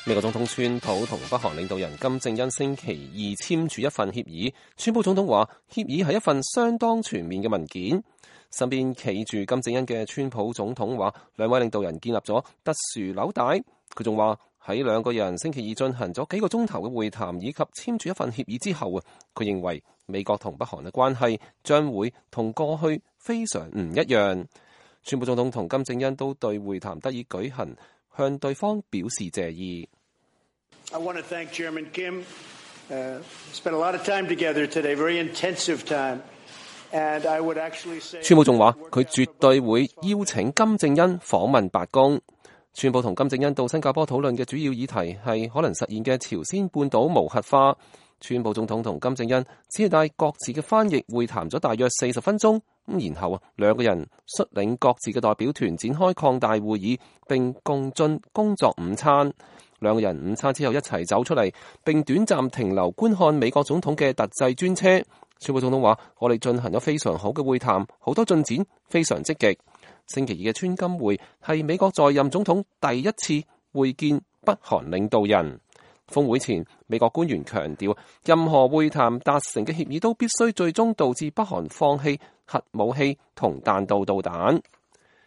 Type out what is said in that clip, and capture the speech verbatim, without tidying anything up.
美國總統川普同北韓領導人金正恩星期二簽署一份協議。川普總統話，協議係一份相當全面嘅文件。身邊企住金正恩嘅川普總統話，兩位領導人建立咗特殊紐帶。佢仲話喺兩個人星期二進行咗幾個鐘頭嘅會談以及簽署一份協議之後啊，佢認為美國同北韓嘅關係將會同過去非常唔一樣。川普總統同金正恩都對會談得以舉行向對方表示謝意。I want to thank Chairman Kim. Uh, spent a lot of time together today, very intensive time. And I would actually say. 川普仲話佢絕對會邀請金正恩訪問白宮。川普同金正恩到新加坡討論嘅主要議題係可能實現嘅朝鮮半島無核化。川普總統同金正恩只係帶各自嘅翻譯會談咗大約四十分鐘，咁然後啊，兩個人率領各自嘅代表團展開擴大會議，並共進工作午餐。兩個人午餐之後一齊走出嚟，並短暫停留觀看美國總統嘅特製專車。川普總統話：我哋進行咗非常好嘅會談，好多進展，非常積極。星期二嘅川金會係美國在任總統第一次會見北韓領導人。峰會前，美國官員強調，任何會談達成嘅協議都必須最終導致北韓放棄核武器同彈道導彈。